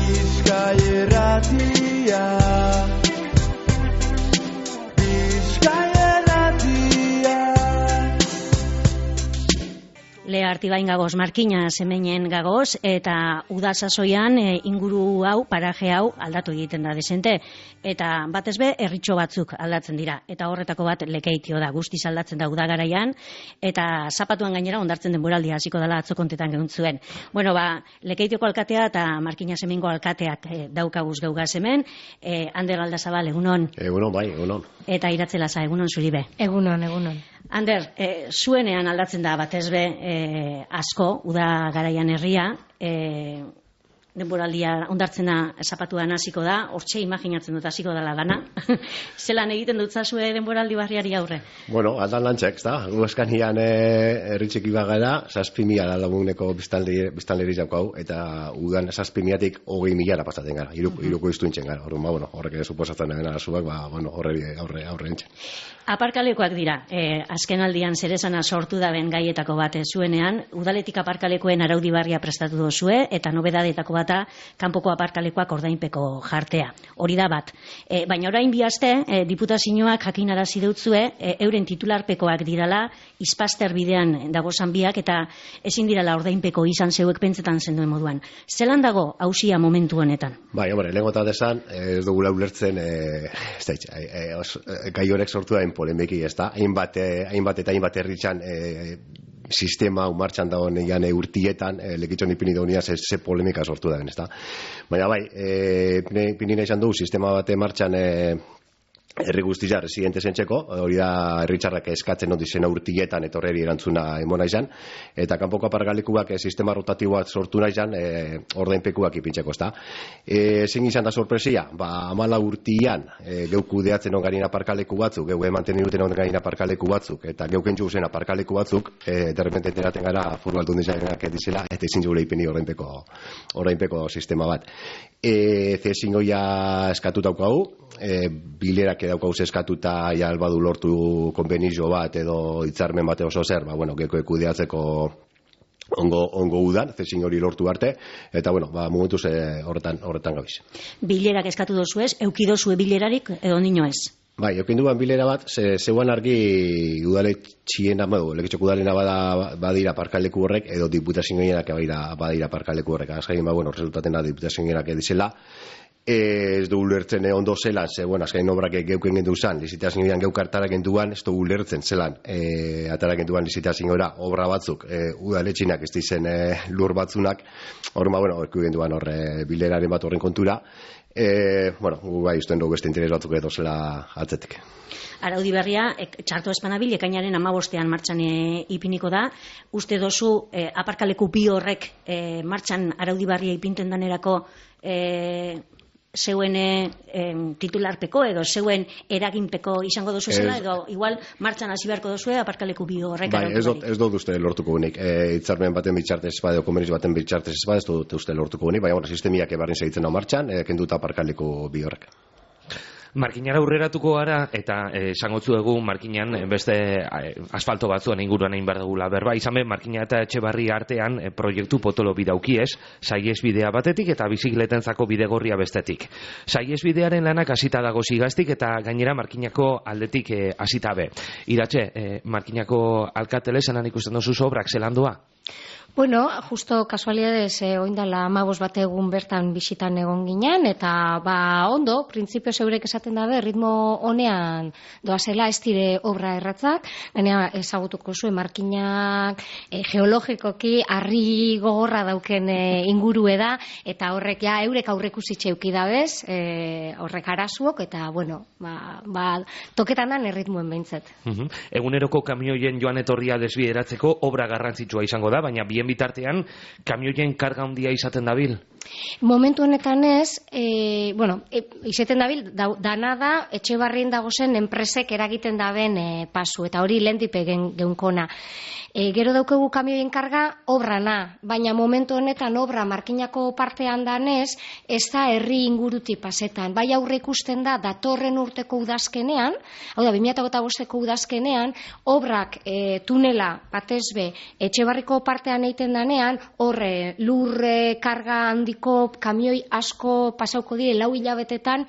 Bizkai Irratia. Lea Artibain gagoz, Markina Zemeinen gagoz, eta uda sasoian inguru hau, paraje hau aldatu egiten da desente, eta batez be herritxo batzuk aldatzen dira, eta horretako bat Lekeitio da, guztiz aldatzen da uda garaian, eta zapatuan gainera ondartzen denboraldia hasiko dela atzo kontetan gehuntzuen. Bueno, Lekeitioko alkatea eta Markina Zemengo alkateak daukaguz geugaz hemen, Ander Aldazabal, egunon. Egunon, bai, egunon. Eta Iratzelaza, egunon zuribe. Egunon, egunon. Ander, zuenean aldatzen da batez be asko, uda garaian herria, denboraldia ondartzena zapatuan hasiko da, hortxe imaginatzen dut hasiko dela dana. Zelan egiten dut zazue denboraldi barriari aurre? Bueno, aldan lantxek, da. Gu eskanian herritxeki bagara, 6.000 laguneko biztanleri jaukau, eta udan 6.000-tik 20.000 pasaten gara, iruko iztuintzen gara. Horrek suposatzen dena zuak, aurre entzen. Aparkalekoak dira, azken aldian zerezana sortu daben gaietako bat zuenean, udaletik aparkalekoen araudi barria prestatu dozue, eta nobedadetako bata kanpoko aparkalekoak ordainpeko jartea. Hori da bat. Baina orain bi aste, diputazioak jakinarazi deutzue, euren titularpekoak dirala, Izpaster bidean dagozan biak, eta ezin dirala ordainpeko izan zeuek pentsetan zenduen moduan. Zelan dago hausia momentu honetan? Bai, lengo eta desan, ez dugula ulertzen, gai horrek sortu da polemiki, ez da? Hainbat herritzan sistema martxan dagoen urtietan, lekitxon ipini daunian ze polemika sortu da, ez da? Baina bai, ipini nahi izan du, sistema bate martxan herri guztia residente zentzeko, hori da herritxarrak eskatzen odizena urtietan etorreri erantzuna emona izan, eta kanpoko aparkalekuak sistema rotatiboak sortu nahi izan, ordainpekuak ipintzeko, ez da. Zein izan da sorpresia? 14 urtian geu kudeatzen ongarin aparkaleku batzuk, geu emanten iruten ongarin aparkaleku batzuk, eta geu kentzu zen aparkaleku batzuk, derrepente enteraten gara Foru Aldundia jarenak dizela, eta ezin zure ipini ordainpeko sistema bat. Zezingoia eskatutaukagu, bilerak daukauz eskatuta albadu lortu konbenizio bat edo hitzarmen bate oso zer, geko kudeatzeko ongo udan, zezin hori lortu arte, eta momentuz horretan gabiz. Bilerak eskatu dozuez, eukidozue bilerarik edo nino ez? Bai, eukin duan bilera bat, zeuan argi udaletxien, lekitxok udalena badira parkaleku horrek, edo diputazioenak badira parkaleku horrek. Azkain, resultaten da diputazioenak edizela. Ez du ulertzen ondo zelan, azkain obrak geuken gendu zan, lizitazioan geukartarak genduan, ez du ulertzen zelan, atarak genduan lizitazioa obra batzuk, udaletxinak ez dizen lur batzunak, horku genduan bileraren bat horren kontura, gu bai usten dugu beste interes batzuk edo zela atzetik. Araudi berria, txarto espanabil, ekainaren 15ean martxan ipiniko da. Uste dozu, aparkaleku bi horrek martxan araudi berria ipinten danerako zeuen titularpeko edo zeuen eraginpeko izango dozu zela, edo igual martxan hasi beharko dozue aparkaleku bi horrek. Bai, ez dut uste lortuko unik. Hitzarmen baten bitxartez espada, komeniz baten bitxartez espada, ez dut uste lortuko unik, baina sistemiak ebarrin segitzen hau martxan, kenduta aparkaleku bi horrek. Markinara aurreratuko gara, eta esangotzu dugu Markinan beste asfalto batzuen inguruan egin behar dugula berba. Izan be, Markina eta Etxebarri artean proiektu potolo bidaukiez, saiesbidea batetik eta bizikletentzako bidegorria bestetik. Saiesbidearen lanak hasita dago zigaztik eta gainera Markinako aldetik hasita be. Iratxe, Markinako alkatele zelan ikusten dozu obrak zelandua? Bueno, justo kasualidades oindala 15 bat egun bertan bisitan egon ginen, eta ondo, printzipio zeurek esaten dabe, ritmo honean doazela ez dire obra erratzak, gainera ezagutuko zuen Markinak geologikoki harri gogorra dauken ingurue da, eta horrek eurek aurrekusitxe euki dabez, horrek arazuok, eta toketan dan erritmuen behintzat. Eguneroko kamioien joan etorria desbideratzeko obra garrantzitsua izango da, baina bien bitartean kamioien karga handia izaten dabil? Momentu honetan ez, izaten dabil, dana da, Etxebarrien dagozen enpresek eragiten daben pasu, eta hori lehendipe geunkona. Gero daukegu kamioien karga obrana, baina momentu honetan obra markinako partean danez, ez da herri inguruti pasetan. Bai aurre ikusten da datorren urteko udazkenean, hau da, 2025ko udazkenean, obrak tunela batezbe Etxebarriko partean egiten danean, horre lurre karga handiko kamioi asko pasauko dire 4 hilabetetan,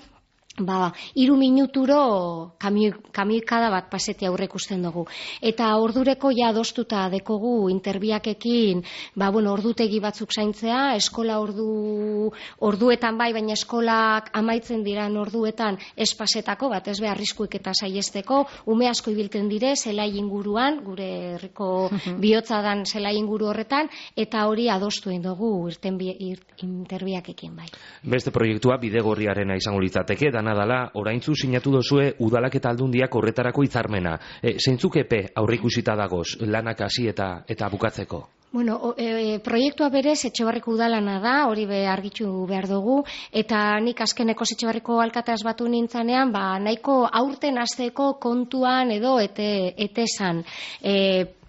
3 minuturo kamioikada bat paseti aurre ikusten dugu. Eta ordureko ja adostuta dekogu interbiakekin, ordutegi batzuk zaintzea, eskola orduetan bai, baina eskolak amaitzen diran orduetan espasetako, bat ez be arriskuik eta saiesteko, ume asko ibilten dire, zelai inguruan, gure herriko bihotza dan zelai inguru horretan, eta hori adostu egin dugu interbiakekin bai. Beste proiektua bidegorriarena izango litzateke, dala, oraintzu sinatu dozue udalak eta aldundiak horretarako hitzarmena. Zeintzuk epe aurreikusita dagoz, lanak hasi eta bukatzeko? Proiektua berez Etxebarriko udalana da, hori argitu behar dugu, eta nik azkeneko Etxebarriko alkateaz batu nintzanean, nahiko aurten hasteko kontuan edo esan.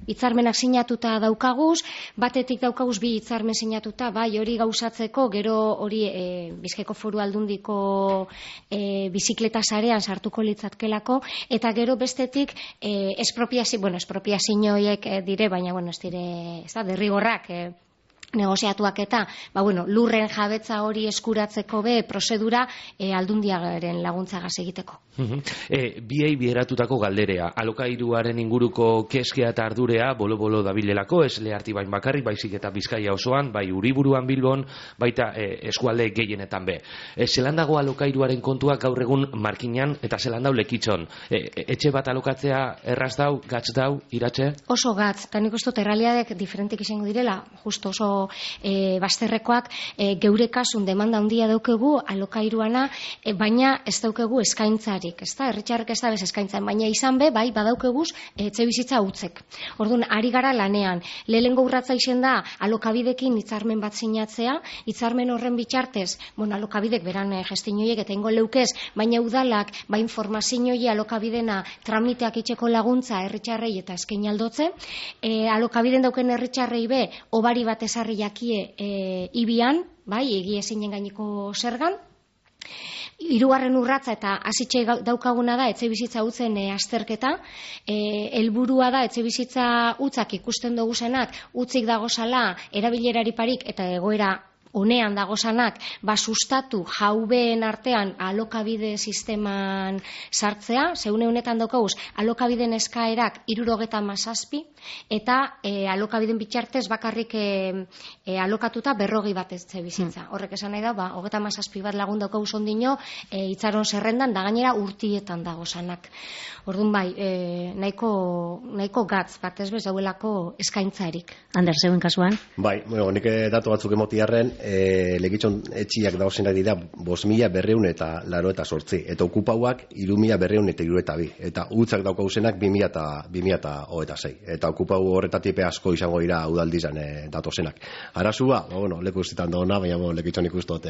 Hitzarmenak sinatuta daukaguz, batetik daukaguz 2 hitzarmen sinatuta, bai hori gauzatzeko, gero hori Bizkaiko Foru Aldundiko bizikleta sarean sartuko litzatkelako, eta gero bestetik espropiazioiek dire, baina ez dire, derrigorrak negoziatuak eta, lurren jabetza hori eskuratzeko prozedura aldundiaren laguntzagaz egiteko. Biei bieratutako galderea, alokairuaren inguruko keskea eta ardurea bolo-bolo dabilelako, ez Lehartibain bakarrik, baizik eta Bizkaia osoan, bai Uriburuan Bilbon, baita eskualde gehienetan be. Zelan dago alokairuaren kontua gaur egun Markinan eta zelan dau Lekitzon? Etxe bat alokatzea erraz dau, gatz dau, iratxe? Oso gatz, eta nik uste errealiadek diferentik izango direla, justo oso bazterrekoak, geure kasun demanda handia daukegu alokairuana, baina ez daukegu eskaintzarik, ez da, herritxarrek ez da bez eskaintzan, baina izan bai badaukeguz etxe bizitza utzek. Orduan, ari gara lanean, lehengo urratza izen da alokabidekin hitzarmen bat sinatzea, hitzarmen horren bitartez, alokabidek beran gestionoiek eta ingo leukez, baina udalak, informazioi alokabidena tramiteak itxeko laguntza herritxarrei eta eskain aldotze, alokabiden dauken herritxarrei obari bat esarri jakie ibian, egie ezinen gaineko zergan. Hirugarren urratza eta hasitxe daukaguna da etxe bizitza utzen azterketa. Helburua da etxe bizitza utzak ikusten duguzenak utzik dagozala erabilerari parik eta egoera honean dagozanak sustatu jaubeen artean alokabide sisteman sartzea, zeune honetan daukaguz alokabiden eskaerak 77 eta alokabiden bitartez bakarrik alokatuta 40 bat etxe bizitza. Horrek esan nahi da, 37 bat lagun daukaguz ondino itzaron zerrendan da gainera urtietan dagozanak. Orduan nahiko gatz bat ez bez dauelako eskaintzarik. Ander, zeuen kasuan? Bai, nik datu batzuk emotiarren, Lekitzon etxiak dauzenak dira 5.288 eta okupauak 3.272 eta utzak daukauzenak 2026 eta okupau horretatipe asko izango dira udaldizan datozenak. Arazua, leku estetan dauna, baina Lekitzon ikustot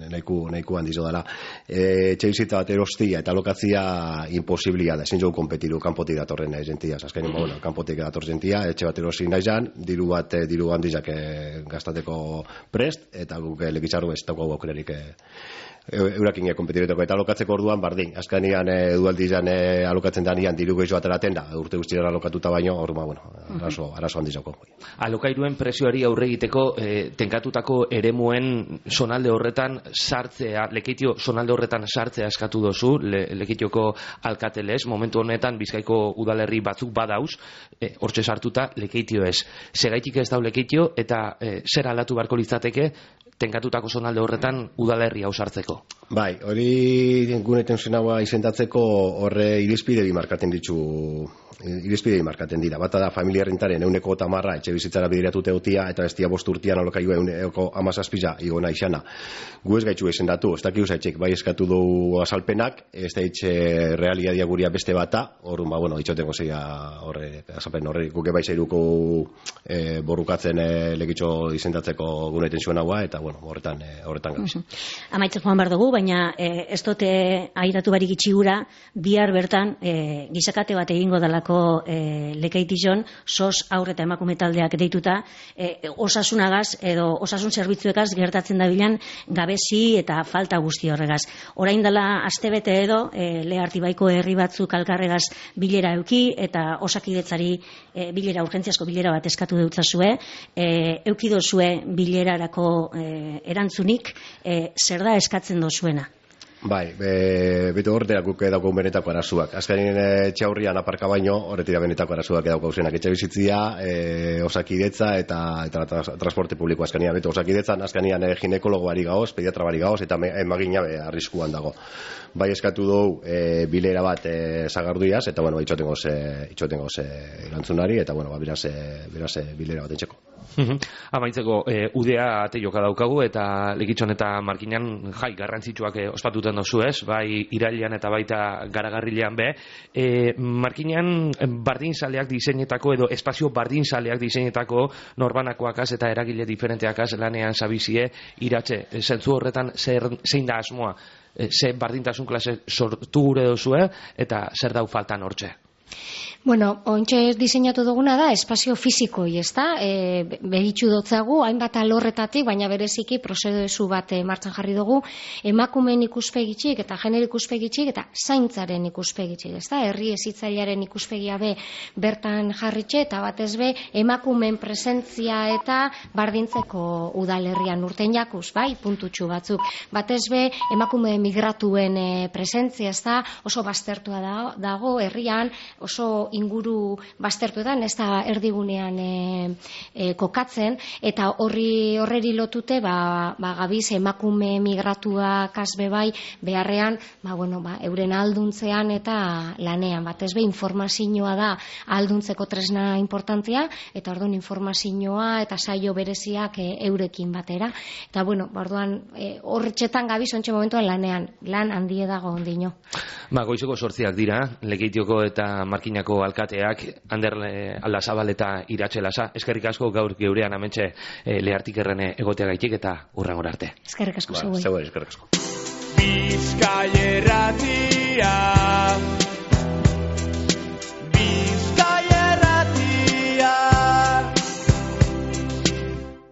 nahiko handizo dela. Etxe bizitza bat erostia eta alokatzia imposiblia da, ezin jogu kompetiru kanpotik datorren jentiaz, azkenean kanpotik dator jentia, etxe bat erosi nahi zan, diru handizak gastateko prest, eta guk Lekitzarru ez daukagu aukerarik eurakin kompetiretako eta alokatzeko orduan bardin. Azkenean udaldizan alokatzen danian diru gehiago ateraten da, urte guztiera alokatuta baino, orduan, arazo handizako. Alokairuen presioari aurre egiteko tenkatutako eremuen zonalde horretan sartzea, Lekeitio zonalde horretan sartzea eskatu dozu, Lekeitioko alkatelez, momentu honetan Bizkaiko udalerri batzuk badauz, hortxe sartuta Lekeitio ez. Segaitik ez dau Lekeitio eta zer aldatu beharko litzateke tenkatutako zonalde horretan udalerri hau sartzeko? Bai, hori gune tensionagoa izendatzeko horre irizpide bimarkaten dira. Bata da familia rentaren 110 etxe bizitzara bideratute utia eta bestia 5 urtean alokaiua 117 igona izana. Gu ez gaitxu izendatu, ez dakiu zaitxek, bai eskatu du azalpenak, ez da itxe realiadia guria beste bata, horren, itxotengo zeia azalpen horre, guke bai zeiruko borrukatzen Lekitxo izendatzeko gune tensionagoa, eta bueno, horretan gabiz. Amaitzen joan behar dugu, baina ez dute airatu barik itxigura, bihar bertan gizakate bat egingo dalako Lekeitijon, SOS haur eta emakume taldeak deituta, osasunagaz edo osasun zerbitzuekaz gertatzen dabilan gabezi eta falta guzti horregaz. Orain dela astebete edo, Lehartibaiko herri batzuk alkarregaz bilera euki eta Osakidetzari urgentziazko bilera bat eskatu deutzazue, euki dozue bilerarako erantzunik, zer da eskatzen dozuena? Bai, bete horretak guk edauko benetako arazuak. Azkenin txaurrian aparka baino, horretik benetako arazuak edauko zenak. Etxe bizitzia, Osakidetza eta transporte publiko azkenia. Bete Osakidetzan azkenian ginekologo bari gaoz, pediatra bari gaoz, eta emagina arriskuan dago. Bai eskatu dugu bilera bat zagarduiaz, eta bueno, itxotengo ze erantzunari, eta bueno, beraz bilera bat entxeko. Amaitzeko, udea ate joka daukagu, eta Lekitxon eta Markinan jai garrantzitsuak ospatuten dozu ez, bai irailean eta baita garagarrilean be. Markinan bardinzaleak diseinetako edo espazio bardinzaleak diseinetako norbanakoakaz eta eragile diferenteakaz lanean zabizie iratxe. Zentzu horretan zein da asmoa? Ze bardintasun klase sortu gure dozue eta zer dau faltan hortxe? Bueno, ontxe diseinatu duguna da espazio fizikoi, ezta? Behitxu dotzagu, hainbat alorretatik, baina bereziki prozesu bat martxan jarri dugu, emakumeen ikuspegitxik eta genero ikuspegitxik eta zaintzaren ikuspegitxik, ezta? Herri hezitzailearen ikuspegia be bertan jarritxe eta batez be emakumeen presentzia eta bardintzeko udalerrian urten jakuz, bai, puntutxu batzuk. Batez be emakume migratuen presentzia, ezta? Oso baztertua dago herrian, oso inguru baztertuetan, ez da erdigunean kokatzen, eta horreri lotute gabiz emakume migratuak azbe bai beharrean, euren alduntzean eta lanean, batez be informazioa da alduntzeko tresna importantzia, eta orduan informazioa eta saio bereziak eurekin batera, eta orduan horretxetan gabiz ontxe momentuan lanean, lan handie dago ondino. Goizeko 8 dira, Lekeitioko eta Markinako alkateak, Ander Aldazabal eta Iratxe Lasa. Eskerrik asko gaur geurean amentxe Lehartik errene egoteagaitik eta hurrengora arte. Eskerrik asko zeuei. Eskerrik asko. Bizkaia Irratia